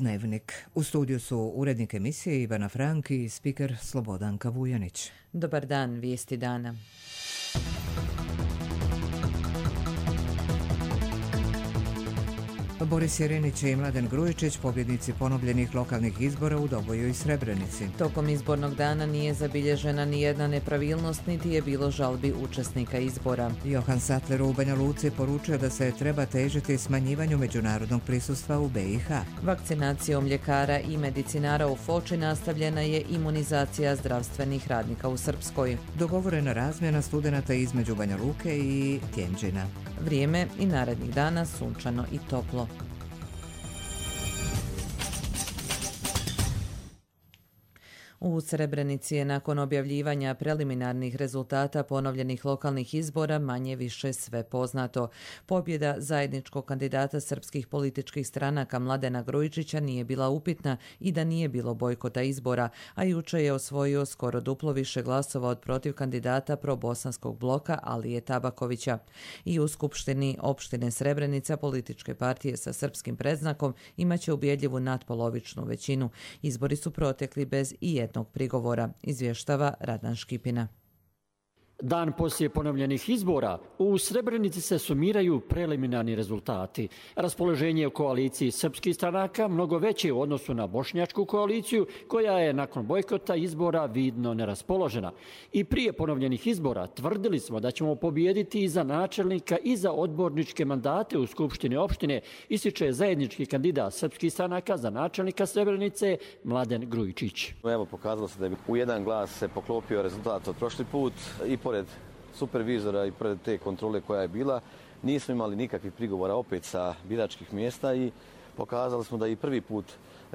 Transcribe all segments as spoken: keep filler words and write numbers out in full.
Dnevnik. U studiju su urednik emisije Ivana Frank i spiker Slobodanka Vujanić. Dobar dan, vijesti dana. Boris Jerinić i Mladen Grujičić, pobjednici ponovljenih lokalnih izbora u Doboju i Srebrenici. Tokom izbornog dana nije zabilježena ni jedna nepravilnost, niti je bilo žalbi učesnika izbora. Johan Sattler u Banja Luci poručio da se treba težiti smanjivanju međunarodnog prisustva u B i H. Vakcinacijom ljekara i medicinara u Foči nastavljena je imunizacija zdravstvenih radnika u Srpskoj. Dogovorena razmjena studenata između Banja Luke i Tjenđina. Vrijeme i narednih dana sunčano i toplo. U Srebrenici je nakon objavljivanja preliminarnih rezultata ponovljenih lokalnih izbora manje više sve poznato. Pobjeda zajedničkog kandidata srpskih političkih stranaka Mladena Grujičića nije bila upitna i da nije bilo bojkota izbora, a juče je osvojio skoro duplo više glasova od protiv kandidata probosanskog bloka Alije Tabakovića. I u Skupštini opštine Srebrenica političke partije sa srpskim predznakom imaće ubjedljivu natpolovičnu većinu. Izbori su protekli bez i jednog prigovora, izvještava Radan Škipina. Dan poslije ponovljenih izbora u Srebrenici se sumiraju preliminarni rezultati. Raspoloženje u koaliciji srpskih stranaka mnogo veće u odnosu na bošnjačku koaliciju, koja je nakon bojkota izbora vidno neraspoložena. I prije ponovljenih izbora tvrdili smo da ćemo pobijediti i za načelnika i za odborničke mandate u Skupštini opštine, ističe zajednički kandidat srpskih stranaka za načelnika Srebrenice Mladen Grujičić. Evo, pokazalo se da je u jedan glas se poklopio rezultat od prošli put i pored supervizora i pored te kontrole koja je bila, nismo imali nikakvih prigovora opet sa biračkih mjesta i pokazali smo da i prvi put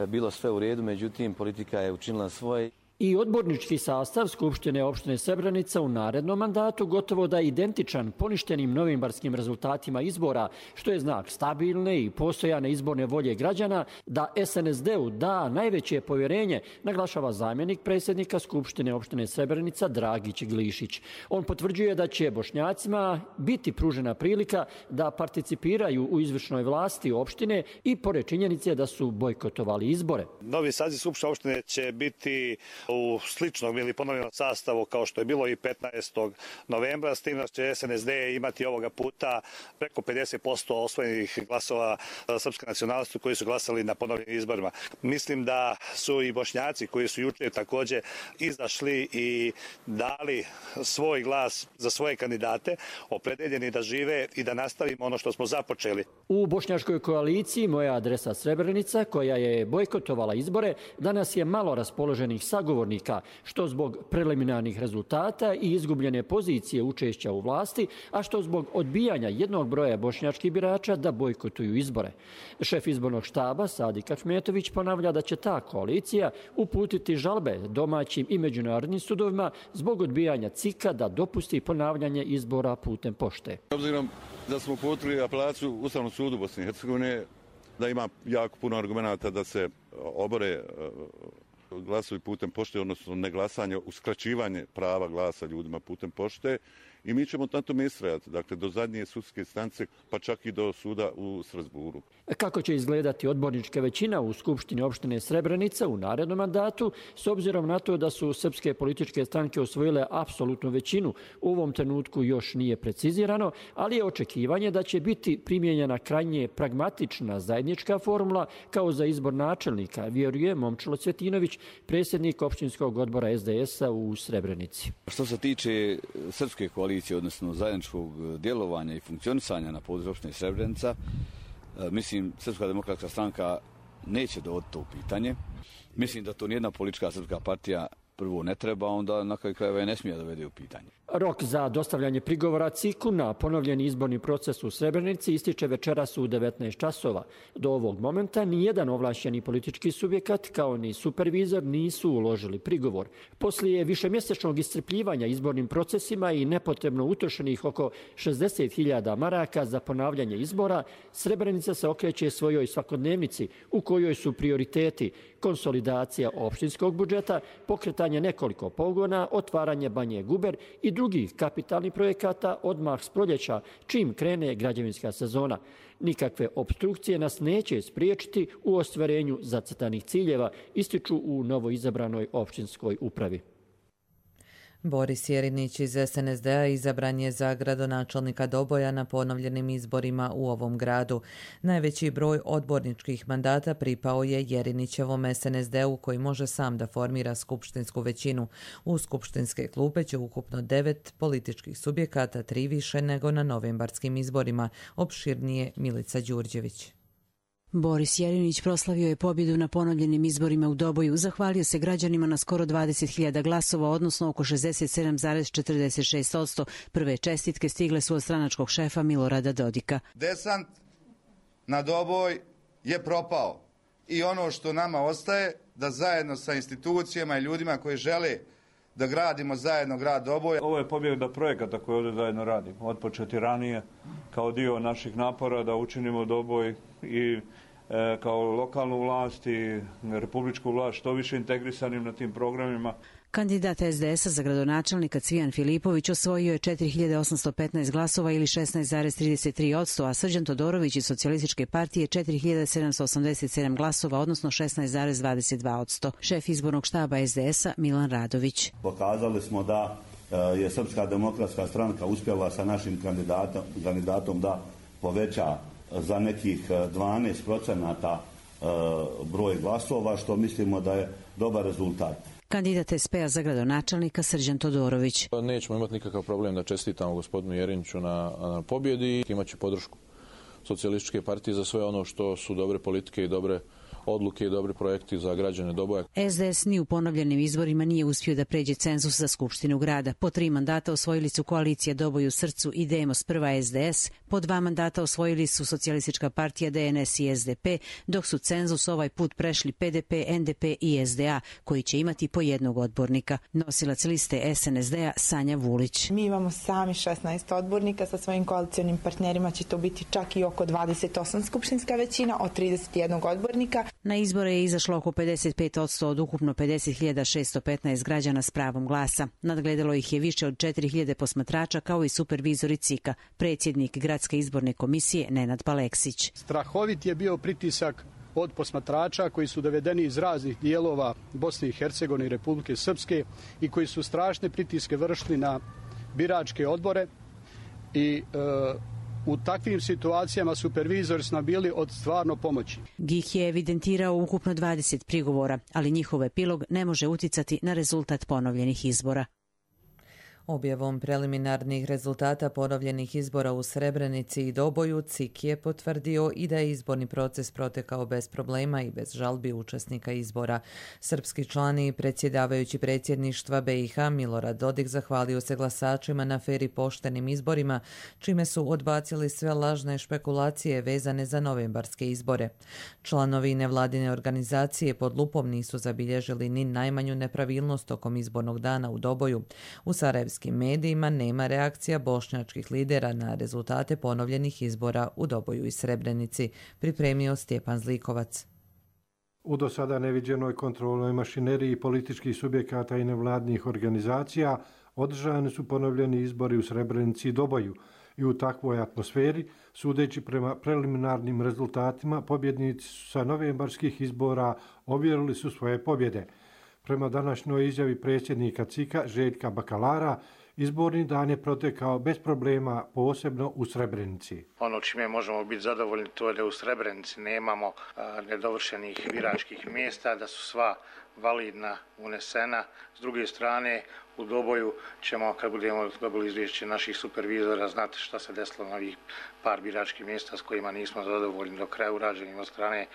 bilo sve u redu, međutim politika je učinila svoje. I odbornički sastav Skupštine opštine Srebrenica u narednom mandatu gotovo da je identičan poništenim novembarskim rezultatima izbora, što je znak stabilne i postojane izborne volje građana da S N S D-u da najveće povjerenje, naglašava zamjenik predsjednika Skupštine opštine Srebrenica Dragić Glišić. On potvrđuje da će Bošnjacima biti pružena prilika da participiraju u izvršnoj vlasti opštine i pored činjenice da su bojkotovali izbore. Novi saziv Skupštine opštine će biti u sličnom ili ponovljenom sastavu kao što je bilo i petnaestog novembra, s tim da će S N S D imati ovoga puta preko pedeset posto osvojenih glasova srpske nacionalnosti koji su glasali na ponovljenim izborima. Mislim da su i Bošnjaci koji su juče također izašli i dali svoj glas za svoje kandidate, opredeljeni da žive i da nastavimo ono što smo započeli. U bošnjačkoj koaliciji Moja adresa Srebrenica, koja je bojkotovala izbore, danas je malo raspoloženih sagovornika, što zbog preliminarnih rezultata i izgubljene pozicije učešća u vlasti, a što zbog odbijanja jednog broja bošnjačkih birača da bojkotuju izbore. Šef izbornog štaba Sadik Ahmetović ponavlja da će ta koalicija uputiti žalbe domaćim i međunarodnim sudovima zbog odbijanja C I K-a da dopusti ponavljanje izbora putem pošte. Obzirom da smo uputili apelaciju Ustavnom sudu Bosne i Hercegovine, da ima jako puno argumenata da se obore glasuju putem pošte, odnosno neglasanje, uskraćivanje prava glasa ljudima putem pošte i mi ćemo na tome istrajati, dakle do zadnje sudske instance, pa čak i do suda u Strasburu. Kako će izgledati odbornička većina u Skupštini opštine Srebrenica u narednom mandatu, s obzirom na to da su srpske političke stranke osvojile apsolutnu većinu, u ovom trenutku još nije precizirano, ali je očekivanje da će biti primijenjena krajnje pragmatična zajednička formula kao za izbor načelnika, vjeruje Momčilo Cvjetinović, predsjednik opštinskog odbora S D S-a u Srebrenici. Što se tiče srpske koalicije, odnosno zajedničkog djelovanja i funkcionisanja na području opštine Srebrenica, mislim, Srpska demokratska stranka neće dovoditi to u pitanje. Mislim da to nijedna politička srpska partija prvo ne treba, onda na kraju krajeva ne smije dovede u pitanje. Rok za dostavljanje prigovora C I K-u na ponovljeni izborni proces u Srebrenici ističe večeras u devetnaest časova. Do ovog momenta nijedan ovlašćeni politički subjekat kao ni supervizor nisu uložili prigovor. Poslije višemjesečnog iscrpljivanja izbornim procesima i nepotrebno utrošenih oko šezdeset hiljada maraka za ponavljanje izbora, Srebrenica se okreće svojoj svakodnevnici u kojoj su prioriteti konsolidacija opštinskog budžeta, pokretanje nekoliko pogona, otvaranje Banje Guber i drugi drugih kapitalnih projekata odmah s proljeća, čim krene građevinska sezona. Nikakve opstrukcije nas neće spriječiti u ostvarenju zacrtanih ciljeva, ističu u novoizabranoj općinskoj upravi. Boris Jerinić iz S N S D-a izabran je za gradonačelnika Doboja na ponovljenim izborima u ovom gradu. Najveći broj odborničkih mandata pripao je Jerinićevom S N S D-u koji može sam da formira skupštinsku većinu. U skupštinske klupe će ukupno devet političkih subjekata, tri više nego na novembarskim izborima. Opširnije Milica Đurđević. Boris Jerinić proslavio je pobjedu na ponovljenim izborima u Doboju. Zahvalio se građanima na skoro dvadeset hiljada glasova, odnosno oko šezdeset sedam zarez četrdeset šest posto. Prve čestitke stigle su od stranačkog šefa Milorada Dodika. Desant na Doboj je propao i ono što nama ostaje da zajedno sa institucijama i ljudima koji žele da gradimo zajedno grad Doboj. Ovo je pobjeda projekata koje ovdje zajedno radimo. Otpočeti ranije kao dio naših napora da učinimo Doboj i e, kao lokalnu vlast i republičku vlast što više integrisanim na tim programima. Kandidat S D S-a za gradonačelnika Cvijan Filipović osvojio je četiri hiljade osamsto petnaest glasova ili šesnaest zarez trideset tri posto, a Srđan Todorović iz Socijalističke partije četiri hiljade sedamsto osamdeset sedam glasova, odnosno šesnaest zarez dvadeset dva posto. Šef izbornog štaba S D S-a Milan Radović. Pokazali smo da je Srpska demokratska stranka uspjela sa našim kandidatom, kandidatom da poveća za nekih dvanaest procenata broj glasova, što mislimo da je dobar rezultat. Kandidat S P-a za gradonačelnika Srđan Todorović. Nećemo imati nikakav problem da čestitamo gospodinu Jeriniću na, na pobjedi. Imaće podršku Socijalističke partije za sve ono što su dobre politike i dobre odluke i dobri projekti za građane Doboja. S D S ni u ponovljenim izborima nije uspio da pređe cenzus za Skupštinu grada. Po tri mandata osvojili su koalicija Doboj u srcu i Demos prva S D S, po dva mandata osvojili su Socijalistička partija D N S i S D P, dok su cenzus ovaj put prešli P D P, N D P i S D A, koji će imati po jednog odbornika. Nosilac liste S N S D-a Sanja Vulić. Mi imamo sami šesnaest odbornika, sa svojim koalicionim partnerima će to biti čak i oko dvadeset osam skupštinska većina od trideset jednog odbornika. Na izbore je izašlo oko pedeset pet posto od ukupno pedeset hiljada šessto petnaest građana s pravom glasa. Nadgledalo ih je više od četiri hiljade posmatrača kao i supervizori C I K-a, predsjednik Gradske izborne komisije Nenad Paleksić. Strahovit je bio pritisak od posmatrača koji su dovedeni iz raznih dijelova Bosne i Hercegovine i Republike Srpske i koji su strašne pritiske vršili na biračke odbore i e, u takvim situacijama supervizori su nam bili od stvarno pomoći. G I H je evidentirao ukupno dvadeset prigovora, ali njihov epilog ne može uticati na rezultat ponovljenih izbora. Objavom preliminarnih rezultata ponovljenih izbora u Srebrenici i Doboju, C I K je potvrdio i da je izborni proces protekao bez problema i bez žalbi učesnika izbora. Srpski član i predsjedavajući predsjedništva B i H Milorad Dodik zahvalio se glasačima na fer i poštenim izborima, čime su odbacili sve lažne špekulacije vezane za novembarske izbore. Članovi nevladine organizacije pod lupom nisu zabilježili ni najmanju nepravilnost tokom izbornog dana u Doboju. U Sarajevskim medijima nema reakcija bošnjačkih lidera na rezultate ponovljenih izbora u Doboju i Srebrenici, pripremio Stjepan Zlikovac. U do sada neviđenoj kontrolnoj mašineriji političkih subjekata i nevladnih organizacija održani su ponovljeni izbori u Srebrenici i Doboju i u takvoj atmosferi, sudeći prema preliminarnim rezultatima, pobjednici su sa novembarskih izbora ovjerili su svoje pobjede. Prema današnjoj izjavi predsjednika C I K-a Željka Bakalara, izborni dan je protekao bez problema, posebno u Srebrenici. Ono čime možemo biti zadovoljni to je da u Srebrenici nemamo a, nedovršenih biračkih mjesta, da su sva validna, unesena. S druge strane, u Doboju ćemo, kad budemo dobili izvješće naših supervizora, znati šta se desilo na ovih par biračkih mjesta s kojima nismo zadovoljni do kraja urađenim od strane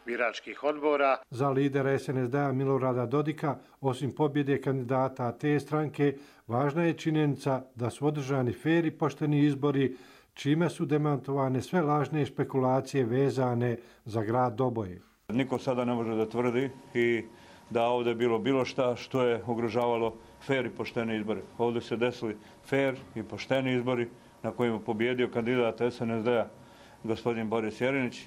biračkih odbora. Za lidera S N S D-a Milorada Dodika, osim pobjede kandidata te stranke, važna je činjenica da su održani fer i pošteni izbori, čime su demantovane sve lažne špekulacije vezane za grad Doboj. Niko sada ne može da tvrdi i da ovdje bilo bilo šta što je ugrožavalo fer i poštene izbore. Ovdje se desili fer i pošteni izbori na kojima je pobjedio kandidat S N S D-a gospodin Boris Jerinić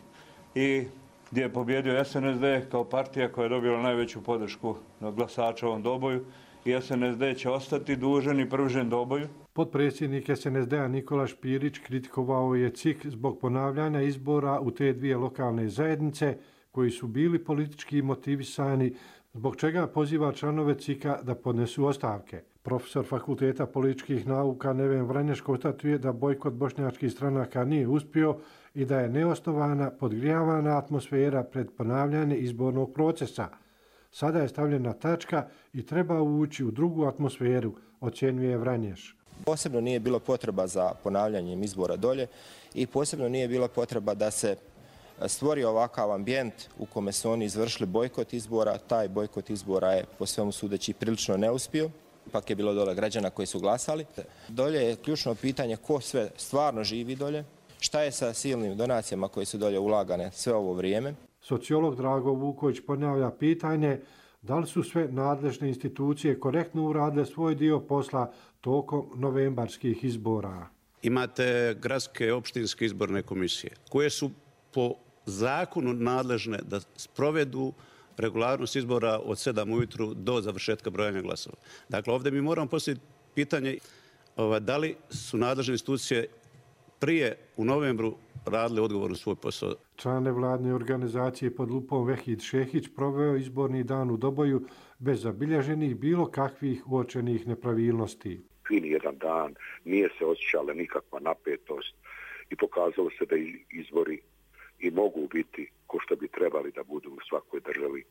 i gdje je pobjedio S N S D kao partija koja je dobila najveću podršku glasača u ovom Doboju i S N S D će ostati dužan i privržen Doboju. Potpredsjednik S N S D-a Nikola Špirić kritikovao je C I K zbog ponavljanja izbora u te dvije lokalne zajednice koji su bili politički motivisani, zbog čega poziva članove C I K-a da podnesu ostavke. Profesor Fakulteta političkih nauka Neven Vranješ konstatuje da bojkot bošnjačkih stranaka nije uspio i da je neosnovana, podgrijavana atmosfera pred ponavljanje izbornog procesa. Sada je stavljena tačka i treba ući u drugu atmosferu, ocjenjuje Vranješ. Posebno nije bilo potreba za ponavljanjem izbora dolje i posebno nije bila potreba da se stvori ovakav ambijent u kome su oni izvršili bojkot izbora. Taj bojkot izbora je po svemu sudeći prilično neuspio. Ipak je bilo dole građana koji su glasali. Dolje je ključno pitanje ko sve stvarno živi dolje, šta je sa silnim donacijama koje su dolje ulagane sve ovo vrijeme. Sociolog Drago Vuković ponavlja pitanje da li su sve nadležne institucije korektno uradile svoj dio posla tokom novembarskih izbora. Imate gradske opštinske izborne komisije koje su po zakonu nadležne da sprovedu regularnost izbora od sedam ujutru do završetka brojanja glasova. Dakle, ovdje mi moramo postaviti pitanje da li su nadležne institucije prije u novembru radili odgovorno svoj posao. Član nevladne organizacije pod lupom Vehid Šehić proveo izborni dan u Doboju bez zabilježenih bilo kakvih uočenih nepravilnosti. Fin jedan dan, nije se osjećala nikakva napetost i pokazalo se da izbori i mogu biti ko što bi trebali da budu u svakoj državi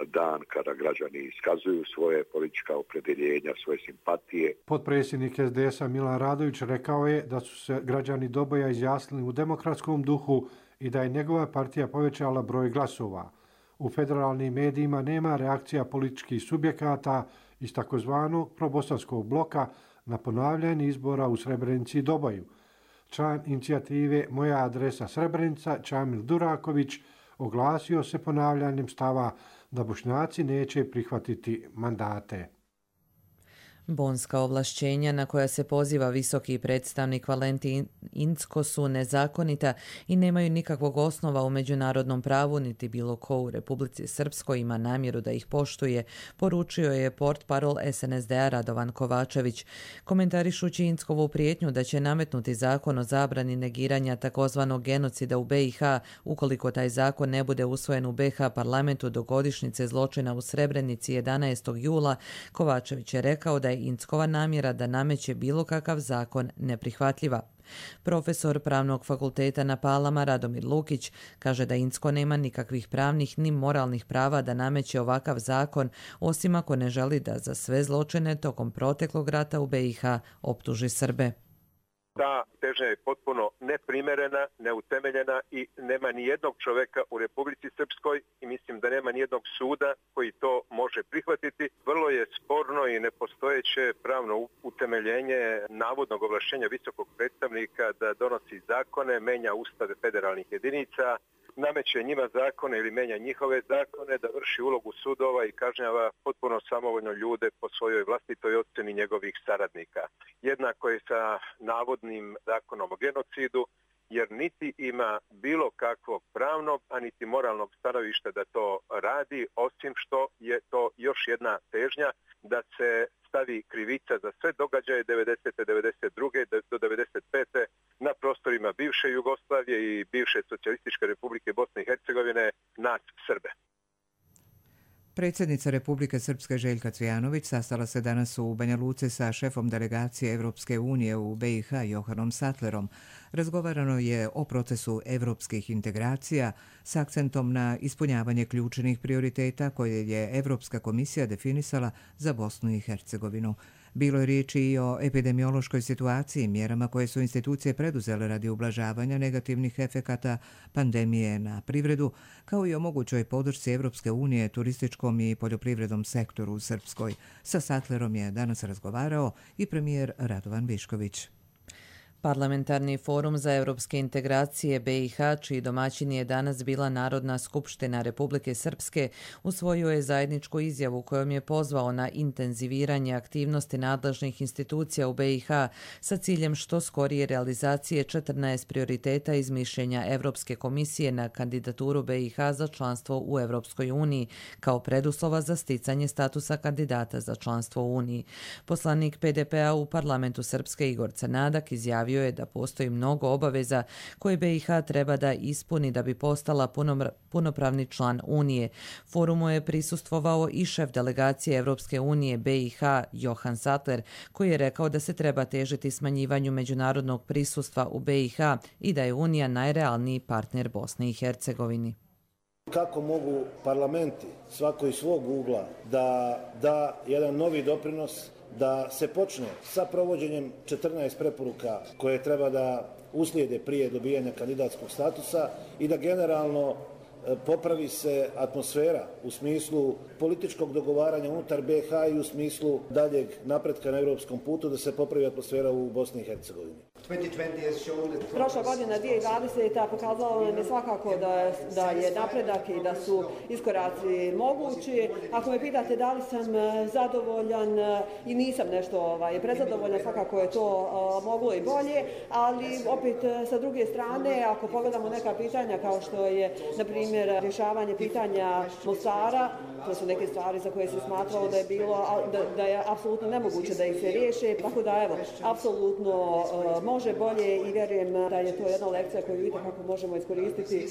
dan kada građani iskazuju svoje politička opredjeljenja, svoje simpatije. Potpredsjednik S D S-a Milan Radović rekao je da su se građani Doboja izjasnili u demokratskom duhu i da je njegova partija povećala broj glasova. U federalnim medijima nema reakcija političkih subjekata iz takozvanog probosanskog bloka na ponavljanje izbora u Srebrenici i Doboju. Član inicijative Moja adresa Srebrenica, Čamil Duraković, oglasio se ponavljanjem stava da Bošnjaci neće prihvatiti mandate. Bonska ovlašćenja na koja se poziva visoki predstavnik Valentin Incko su nezakonita i nemaju nikakvog osnova u međunarodnom pravu, niti bilo ko u Republici Srpskoj ima namjeru da ih poštuje, poručio je portparol S N S D-a Radovan Kovačević. Komentarišući Inckovu prijetnju da će nametnuti zakon o zabrani negiranja takozvanog genocida u B i H ukoliko taj zakon ne bude usvojen u B i H parlamentu do godišnjice zločina u Srebrenici jedanaestog jula, Kovačević je rekao da je Inckova namjera da nameće bilo kakav zakon neprihvatljiva. Profesor Pravnog fakulteta na Palama Radomir Lukić kaže da Incko nema nikakvih pravnih ni moralnih prava da nameće ovakav zakon, osim ako ne želi da za sve zločine tokom proteklog rata u B i H optuži Srbe. Ta težnja je potpuno neprimerena, neutemeljena i nema ni jednog čoveka u Republici Srpskoj i mislim da nema ni jednog suda koji to može prihvatiti. Vrlo je sporno i nepostojeće pravno utemeljenje navodnog ovlašćenja visokog predstavnika da donosi zakone, menja ustave federalnih jedinica, nameće njima zakone ili menja njihove zakone, da vrši ulogu sudova i kažnjava potpuno samovoljno ljude po svojoj vlastitoj ocjeni njegovih saradnika. Jednako je sa navodnim zakonom o genocidu, jer niti ima bilo kakvog pravnog, a niti moralnog stanovišta da to radi, osim što je to još jedna težnja da se stavi krivica za sve događaje devedesete. devedeset druge. do devedeset pete. na prostorima bivše Jugoslavije i bivše Socijalističke Republike Bosne i Hercegovine nas Srbe. Predsjednica Republike Srpske Željka Cvijanović sastala se danas u Banja Luci sa šefom delegacije Evropske unije u B i H Johanom Sattlerom. Razgovarano je o procesu evropskih integracija s akcentom na ispunjavanje ključnih prioriteta koje je Evropska komisija definisala za Bosnu i Hercegovinu. Bilo je riječi i o epidemiološkoj situaciji, mjerama koje su institucije preduzele radi ublažavanja negativnih efekata pandemije na privredu, kao i o mogućoj podršci Evropske unije turističkom i poljoprivrednom sektoru u Srpskoj. Sa Sattlerom je danas razgovarao i premijer Radovan Višković. Parlamentarni forum za europske integracije B i H, čiji domaćin je danas bila Narodna skupština Republike Srpske, usvojio je zajedničku izjavu kojom je pozvao na intenziviranje aktivnosti nadležnih institucija u B i H sa ciljem što skorije realizacije četrnaest prioriteta iz mišljenja Evropske komisije na kandidaturu B i H za članstvo u Evropskoj uniji kao preduslova za sticanje statusa kandidata za članstvo u Uniji. Poslanik P D P-a u parlamentu Srpske Igor Crnadak izjavio je da postoji mnogo obaveza koje B i H treba da ispuni da bi postala punopravni član Unije. Forumu je prisustvovao i šef delegacije Evropske unije B i H Johan Sattler, koji je rekao da se treba težiti smanjivanju međunarodnog prisustva u B i H i da je Unija najrealniji partner Bosne i Hercegovini. Kako mogu parlamenti, svako iz svog ugla, da da jedan novi doprinos, da se počne sa provođenjem četrnaest preporuka koje treba da uslijede prije dobijanja kandidatskog statusa i da generalno popravi se atmosfera u smislu političkog dogovaranja unutar B i H i u smislu daljeg napretka na europskom putu, da se popravi atmosfera u Bosni i Hercegovini. Prošla godina dvije tisuće dvadeseta pokazala nam je svakako da, da je napredak i da su iskoraci mogući. Ako me pitate da li sam zadovoljan i nisam nešto ovaj, prezadovoljan, svakako je to uh, moglo i bolje, ali opet sa druge strane, ako pogledamo neka pitanja kao što je, na primjer, rješavanje pitanja Mostara, to su neke stvari za koje se smatralo da je bilo, da, da je apsolutno nemoguće da ih se riješe, tako da evo, apsolutno uh, može bolje i vjerujem da je to jedna lekcija koju vidite kako možemo iskoristiti.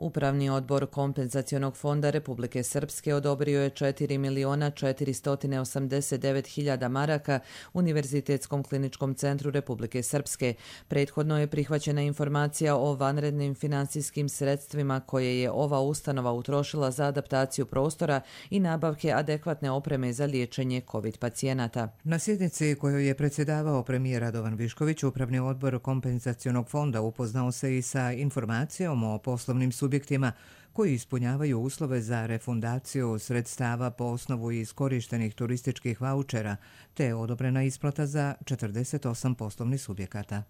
Upravni odbor Kompenzacionog fonda Republike Srpske odobrio je četiri miliona četiristo osamdeset devet hiljada maraka Univerzitetskom kliničkom centru Republike Srpske. Prethodno je prihvaćena informacija o vanrednim finansijskim sredstvima koje je ova ustanova utrošila za adaptaciju prostora i nabavke adekvatne opreme za liječenje COVID pacijenata. Na sjednici kojoj je predsjedavao premijer Radovan Višković, Upravni odbor Kompenzacionog fonda upoznao se i sa informacijom o poslovnim subjektima subjektima koji ispunjavaju uslove za refundaciju sredstava po osnovu iskorištenih turističkih vaučera, te je odobrena isplata za četrdeset osam poslovnih subjekata.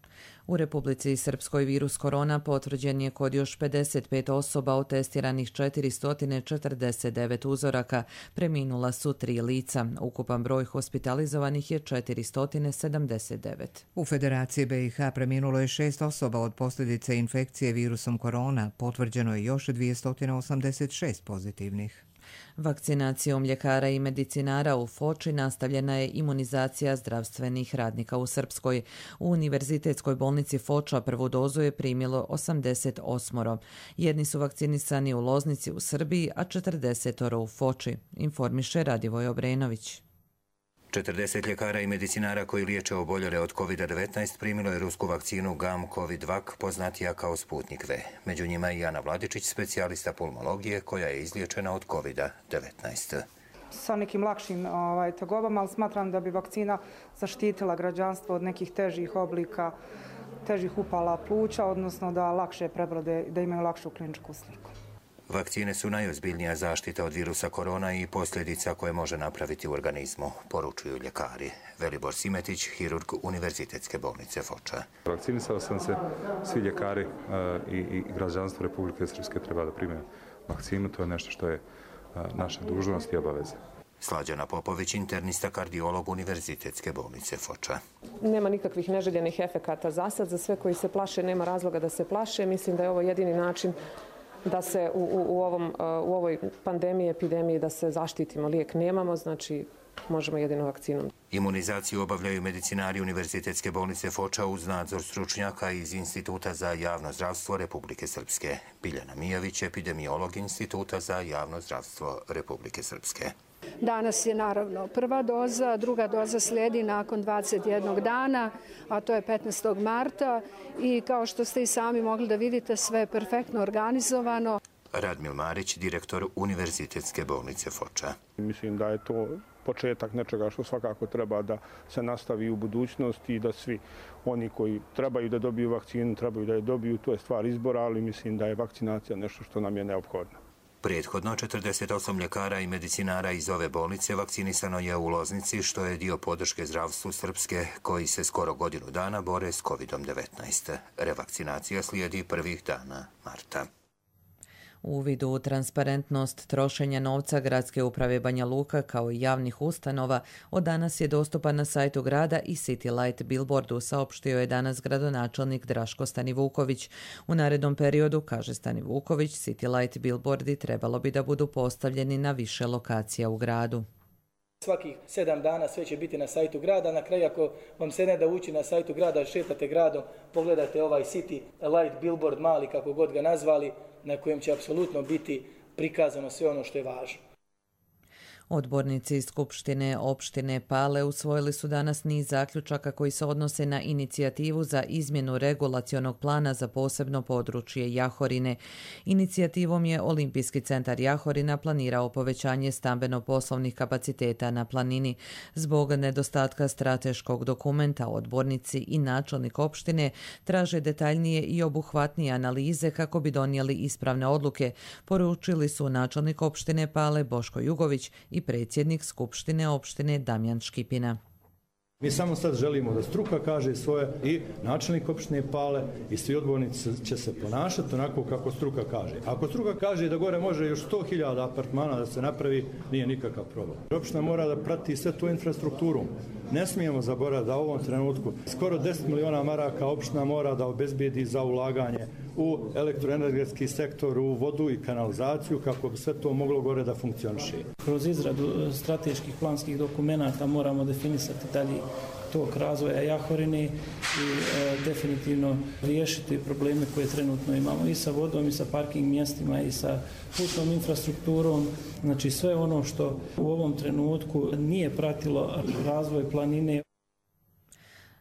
U Republici Srpskoj virus korona potvrđen je kod još pedeset pet osoba od testiranih četiristo četrdeset devet uzoraka. Preminula su tri lica. Ukupan broj hospitalizovanih je četiristo sedamdeset devet. U Federaciji B i H preminulo je šest osoba od posljedice infekcije virusom korona. Potvrđeno je još dvjesto osamdeset šest pozitivnih. Vakcinacijom ljekara i medicinara u Foči nastavljena je imunizacija zdravstvenih radnika u Srpskoj. U Univerzitetskoj bolnici Foča prvu dozu je primilo osamdeset osam. Jedni su vakcinisani u Loznici u Srbiji, a četrdeset u Foči, informiše Radivoj Obrenović. četrdeset ljekara i medicinara koji liječe oboljele od kovid devetnaest primilo je rusku vakcinu Gam Covidvac, poznatija kao Sputnik V. Među njima je i Ana Vladičić, specijalista pulmologije koja je izliječena od kovid devetnaest. Sa nekim lakšim ovaj, tegobama, ali smatram da bi vakcina zaštitila građanstvo od nekih težih oblika, težih upala pluća, odnosno da lakše prebrode, da imaju lakšu kliničku sliku. Vakcine su najozbiljnija zaštita od virusa korona i posljedica koje može napraviti u organizmu, poručuju ljekari. Velibor Simetić, hirurg Univerzitetske bolnice Foča. Vakcinisao sam se, svi ljekari i, i građanstvo Republike Srpske treba da prime vakcinu, to je nešto što je naša dužnost i obaveza. Slađana Popović, internista kardiolog Univerzitetske bolnice Foča. Nema nikakvih neželjenih efekata za sad, za sve koji se plaše nema razloga da se plaše. Mislim da je ovo jedini način da se u, u, u, ovom, u ovoj pandemiji, epidemiji, da se zaštitimo. Lijek nemamo, znači možemo jedino vakcinom. Imunizaciju obavljaju medicinari Univerzitetske bolnice Foča uz nadzor stručnjaka iz Instituta za javno zdravstvo Republike Srpske. Biljana Mijović, epidemiolog Instituta za javno zdravstvo Republike Srpske. Danas je naravno prva doza, druga doza slijedi nakon dvadeset jednog dana, a to je petnaestog marta i kao što ste i sami mogli da vidite, sve je perfektno organizovano. Radmil Marić, direktor Univerzitetske bolnice Foča. Mislim da je to početak nečega što svakako treba da se nastavi u budućnosti i da svi oni koji trebaju da dobiju vakcinu, trebaju da je dobiju, to je stvar izbora, ali mislim da je vakcinacija nešto što nam je neophodno. Prethodno četrdeset osam ljekara i medicinara iz ove bolnice vakcinisano je u Loznici, što je dio podrške zdravstvu Srpske, koji se skoro godinu dana bore s kovid devetnaest. Revakcinacija slijedi prvih dana marta. Uvid u transparentnost trošenja novca Gradske uprave Banja Luka kao i javnih ustanova od danas je dostupan na sajtu grada i City Light billboardu, saopštio je danas gradonačelnik Draško Stanivuković. U narednom periodu, kaže Stanivuković, City Light billboardi trebalo bi da budu postavljeni na više lokacija u gradu. Svakih sedam dana sve će biti na sajtu grada. Na kraju, ako vam se ne da ući na sajtu grada, šetate gradom, pogledate ovaj City Light billboard, mali kako god ga nazvali, na kojem će apsolutno biti prikazano sve ono što je važno. Odbornici iz Skupštine opštine Pale usvojili su danas niz zaključaka koji se odnose na inicijativu za izmjenu regulacionog plana za posebno područje Jahorine. Inicijativom je Olimpijski centar Jahorina planirao povećanje stambeno-poslovnih kapaciteta na planini. Zbog nedostatka strateškog dokumenta, odbornici i načelnik opštine traže detaljnije i obuhvatnije analize kako bi donijeli ispravne odluke, poručili su načelnik opštine Pale Boško Jugović i predsjednik Skupštine opštine Damjan Škipina. Mi samo sad želimo da struka kaže svoje i načelnik opštine Pale i svi odbornici će se ponašati onako kako struka kaže. Ako struka kaže da gore može još sto hiljada apartmana da se napravi, nije nikakav problem. Opština mora da prati sve tu infrastrukturu. Ne smijemo zaboraviti da u ovom trenutku skoro deset miliona maraka opština mora da obezbijedi za ulaganje u elektroenergetski sektor, u vodu i kanalizaciju, kako bi sve to moglo gore da funkcioniše. Kroz izradu strateških planskih dokumenata moramo definisati dalje tog razvoja Jahorine i e, definitivno riješiti probleme koje trenutno imamo i sa vodom i sa parking mjestima i sa putnom infrastrukturom. Znači sve ono što u ovom trenutku nije pratilo razvoj planine.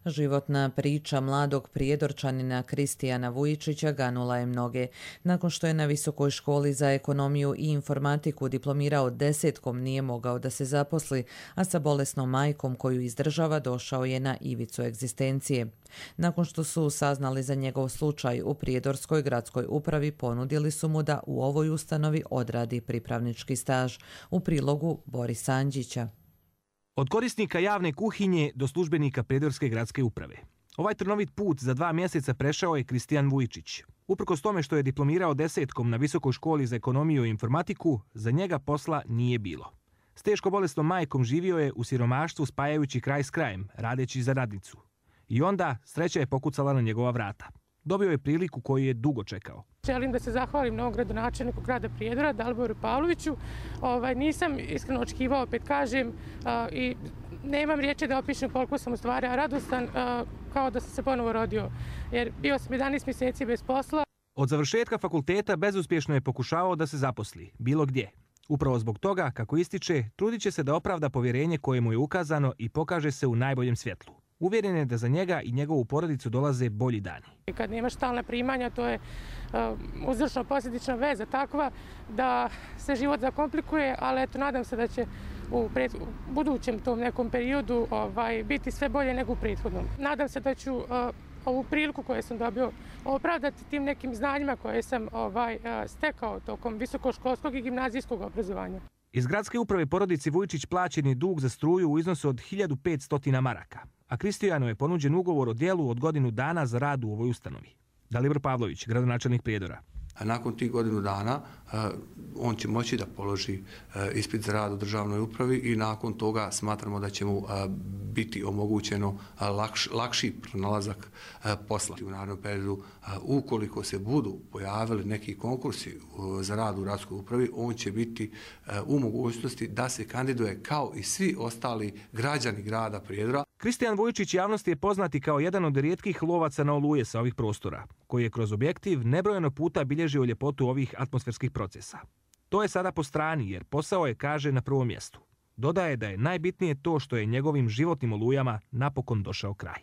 Životna priča mladog prijedorčanina Kristijana Vujičića ganula je mnoge. Nakon što je na Visokoj školi za ekonomiju i informatiku diplomirao desetkom, nije mogao da se zaposli, a sa bolesnom majkom koju izdržava došao je na ivicu egzistencije. Nakon što su saznali za njegov slučaj, u Prijedorskoj gradskoj upravi ponudili su mu da u ovoj ustanovi odradi pripravnički staž. U prilogu Borisa Anđića. Od korisnika javne kuhinje do službenika Prijedorske gradske uprave. Ovaj trnovit put za dva mjeseca prešao je Kristijan Vujičić. Uprkos tome što je diplomirao desetkom na Visokoj školi za ekonomiju i informatiku, za njega posla nije bilo. S teško bolesnom majkom živio je u siromaštvu spajajući kraj s krajem, radeći za radnicu. I onda sreća je pokucala na njegova vrata. Dobio je priliku koju je dugo čekao. Želim da se zahvalim novom gradonačelniku grada Prijedora, Daliboru Pavloviću. Ovaj, nisam iskreno očekivao, opet kažem, a, i nemam riječi da opišem koliko sam u stvari radostan, a, kao da sam se ponovo rodio. Jer bio sam jedanaest mjeseci bez posla. Od završetka fakulteta bezuspješno je pokušavao da se zaposli, bilo gdje. Upravo zbog toga, kako ističe, trudit će se da opravda povjerenje koje mu je ukazano i pokaže se u najboljem svjetlu. Uvjeren je da za njega i njegovu porodicu dolaze bolji dani. Kad nemaš stalna primanja, to je uh, uzročno-posljedična veza takva da se život zakomplikuje, ali eto, nadam se da će u, pred, u budućem tom nekom periodu ovaj, biti sve bolje nego u prethodnom. Nadam se da ću uh, ovu priliku koju sam dobio opravdati tim nekim znanjima koje sam ovaj, uh, stekao tokom visokoškolskog i gimnazijskog obrazovanja. Iz gradske uprave porodici Vujičić plaćen je dug za struju u iznosu od hiljadu petsto maraka, a Kristijanu je ponuđen ugovor o djelu od godinu dana za rad u ovoj ustanovi. Dalibor Pavlović, gradonačelnik Prijedora. A nakon tih godinu dana on će moći da položi ispit za rad u državnoj upravi i nakon toga smatramo da će mu biti omogućeno lakš, lakši pronalazak posla. U narednom periodu, ukoliko se budu pojavili neki konkursi za rad u gradskoj upravi, on će biti u mogućnosti da se kandiduje kao i svi ostali građani grada Prijedora. Kristijan Vujičić javnosti je poznati kao jedan od rijetkih lovaca na oluje sa ovih prostora, koji je kroz objektiv nebrojeno puta bilježio ljepotu ovih atmosferskih procesa. To je sada po strani jer posao je, kaže, na prvom mjestu. Dodaje da je najbitnije to što je njegovim životnim olujama napokon došao kraj.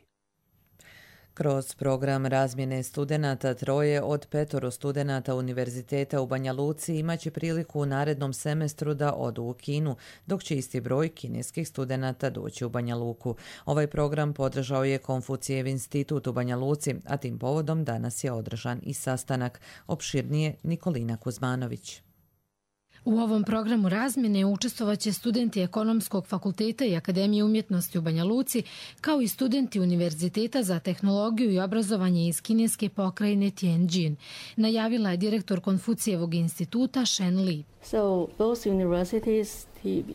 Kroz program razmjene studenata troje od petoro studenata Univerziteta u Banja Luci imaće priliku u narednom semestru da odu u Kinu, dok će isti broj kineskih studenata doći u Banja Luku. Ovaj program podržao je Konfucijev institut u Banja Luci, a tim povodom danas je održan i sastanak. Opširnije Nikolina Kuzmanović. U ovom programu razmjene učestvovaće studenti Ekonomskog fakulteta i Akademije umjetnosti u Banja Luci, kao i studenti Univerziteta za tehnologiju i obrazovanje iz kineske pokrajine Tianjin, najavila je direktor Konfucijevog instituta Shen Li. So both universities,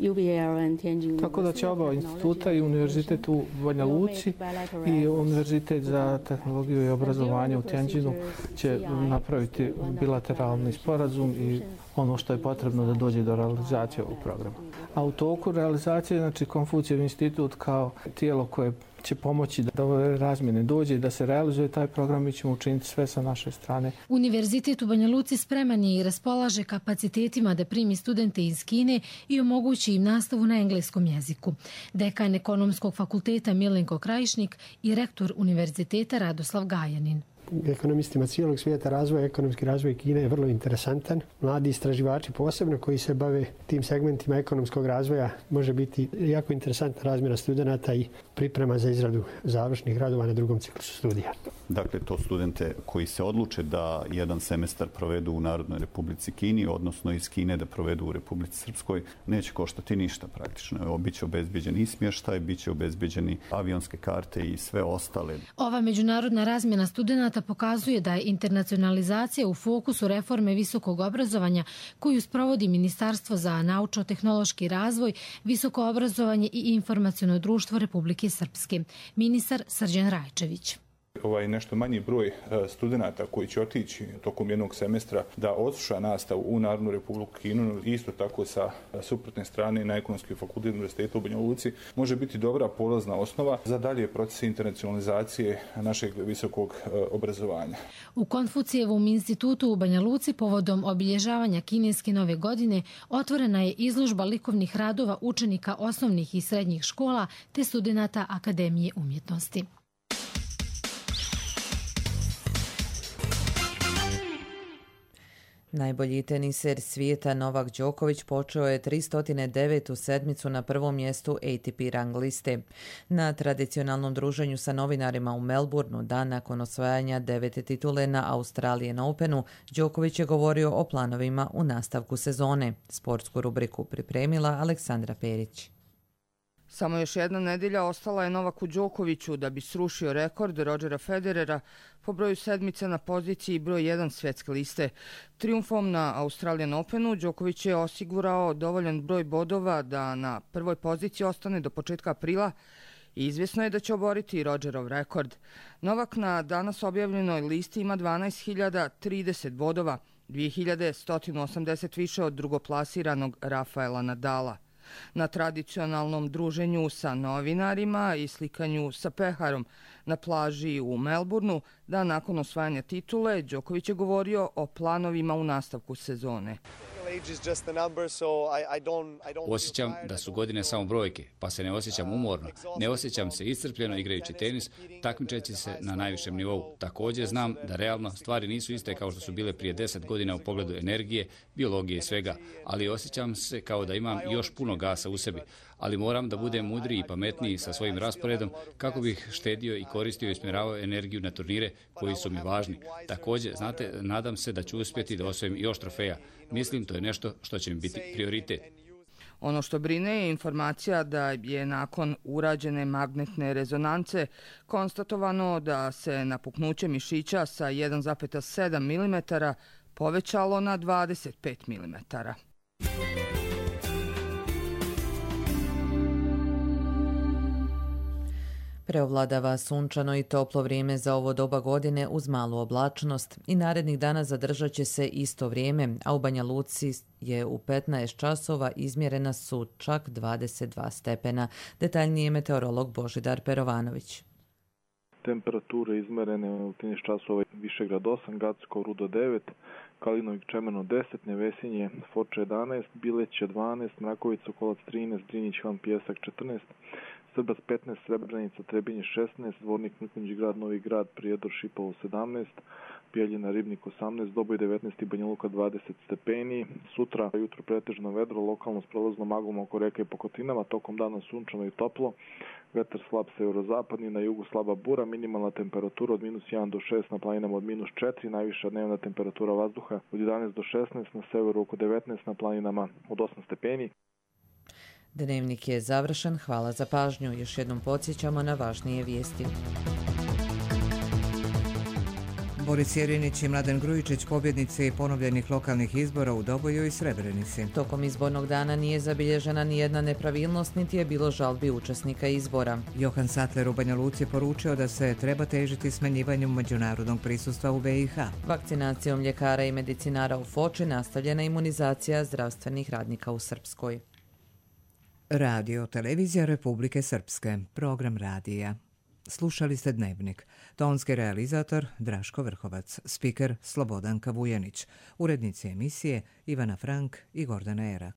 U B L and Tianjin. Tako da će oba instituta, i Univerzitet u Banja Luci i Univerzitet za tehnologiju i obrazovanje u Tianjinu, će napraviti bilateralni sporazum i ono što je potrebno da dođe do realizacije ovog programa. A u toku realizacije, znači Konfucijev institut kao tijelo koje će pomoći da ove razmjene dođe i da se realizuje taj program, mi ćemo učiniti sve sa naše strane. Univerzitet u Banja Luci spreman je i raspolaže kapacitetima da primi studente iz Kine i omogući im nastavu na engleskom jeziku. Dekan Ekonomskog fakulteta Milenko Krajišnik i rektor Univerziteta Radoslav Gajanin. Ekonomistima cijelog svijeta razvoja, ekonomski razvoj Kine je vrlo interesantan. Mladi istraživači posebno koji se bave tim segmentima ekonomskog razvoja može biti jako interesantna razmjena studenata i priprema za izradu završnih radova na drugom ciklusu studija. Dakle, to studente koji se odluče da jedan semestar provedu u Narodnoj Republici Kini, odnosno iz Kine da provedu u Republici Srpskoj, neće koštati ništa praktično. Biće obezbeđen i smještaj, biće obezbeđeni avionske karte i sve ostale. Ova međunarodna razmjena studenata pokazuje da je internacionalizacija u fokusu reforme visokog obrazovanja koju sprovodi Ministarstvo za naučno-tehnološki razvoj, visoko obrazovanje i informaciono društvo Republike Srpske. Ministar Srđan Rajčević. Ovaj nešto manji broj studenata koji će otići tokom jednog semestra da odsluša nastavu u Narodnu Republiku Kinu, isto tako sa suprotne strane na Ekonomski fakultet Univerziteta u Banja Luci, može biti dobra polazna osnova za dalje procese internacionalizacije našeg visokog obrazovanja. U Konfucijevom institutu u Banja Luci povodom obilježavanja kineske nove godine otvorena je izložba likovnih radova učenika osnovnih i srednjih škola te studenata Akademije umjetnosti. Najbolji teniser svijeta Novak Đoković počeo je tristo devetu sedmicu na prvom mjestu A T P rang liste. Na tradicionalnom druženju sa novinarima u Melbourneu, dan nakon osvajanja devete titule na Australian Openu, Đoković je govorio o planovima u nastavku sezone. Sportsku rubriku pripremila Aleksandra Perić. Samo još jedna nedjelja ostala je Novaku Đokoviću da bi srušio rekord Rodgera Federera po broju sedmice na poziciji broj jedan svjetske liste. Trijumfom na Australian Openu Đoković je osigurao dovoljan broj bodova da na prvoj poziciji ostane do početka aprila i izvjesno je da će oboriti Rodgerov rekord. Novak na danas objavljenoj listi ima dvanaest hiljada trideset bodova, dvije hiljade sto osamdeset više od drugoplasiranog Rafaela Nadala. Na tradicionalnom druženju sa novinarima i slikanju sa peharom na plaži u Melbourneu, da nakon osvajanja titule, Đoković je govorio o planovima u nastavku sezone. Osjećam da su godine samo brojke, pa se ne osjećam umorno. Ne osjećam se iscrpljeno igrajući tenis, takmičeći se na najvišem nivou. Također znam da realno stvari nisu iste kao što su bile prije deset godina u pogledu energije, biologije i svega, ali osjećam se kao da imam još puno gasa u sebi. Ali moram da budem mudriji i pametniji sa svojim rasporedom kako bih štedio i koristio i usmjeravao energiju na turnire koji su mi važni. Također, znate, nadam se da ću uspjeti da osvojim još trofeja. Mislim, to je nešto što će mi biti prioritet. Ono što brine je informacija da je nakon urađene magnetne rezonance konstatovano da se napuknuće mišića sa jedan zarez sedam milimetara povećalo na dvadeset pet milimetara. Preovladava sunčano i toplo vrijeme za ovo doba godine uz malu oblačnost i narednih dana zadržat će se isto vrijeme, a u Banja Luci je u petnaest časova izmjerena su čak dvadeset dva stepena. Detaljnije meteorolog Božidar Perovanović. Temperature izmerene u trinaest časova Višegrad osam, Gacko, Rudo devet, Kalinovik, Čemeno deset, Nevesinje, Foča jedanaest, Bileće dvanaest, Mrakovica, Kolac trinaest, Drinjić, Han Pijesak četrnaest, Srbac petnaest, Srebrenica, Trebinje šesnaest, Dvornik, Mrkonjić Grad, Novi Grad, Prijedor, Šipovo sedamnaest, Bijeljina, Ribnik osamnaest, Doboj devetnaest i Banja Luka dvadeset stepeni. Sutra jutro pretežno vedro, lokalno s prolaznom maglom oko reka i Pokotinama, tokom dana sunčano i toplo. vetar slab severozapadni, na jugu slaba bura, minimalna temperatura od minus jedan do šest, na planinama od minus četiri, najviša dnevna temperatura vazduha od jedanaest do šesnaest, na severu oko devetnaest, na planinama od osam stepeni. Dnevnik je završen, hvala za pažnju. Još jednom podsjećamo na važnije vijesti. Boris Jerinić i Mladen Grujičić pobjednici ponovljenih lokalnih izbora u Doboju i Srebrenici. Tokom izbornog dana nije zabilježena ni jedna nepravilnost, niti je bilo žalbi učesnika izbora. Johan Sattler u Banja Luci poručio da se treba težiti smanjivanju međunarodnog prisustva u B i H. Vakcinacijom ljekara i medicinara u Foči nastavljena imunizacija zdravstvenih radnika u Srpskoj. Radio Televizija Republike Srpske, program radija. Slušali ste Dnevnik. Tonski realizator Draško Vrhovac, spiker Slobodanka Vujanić, urednici emisije Ivana Frank i Gordana Erak.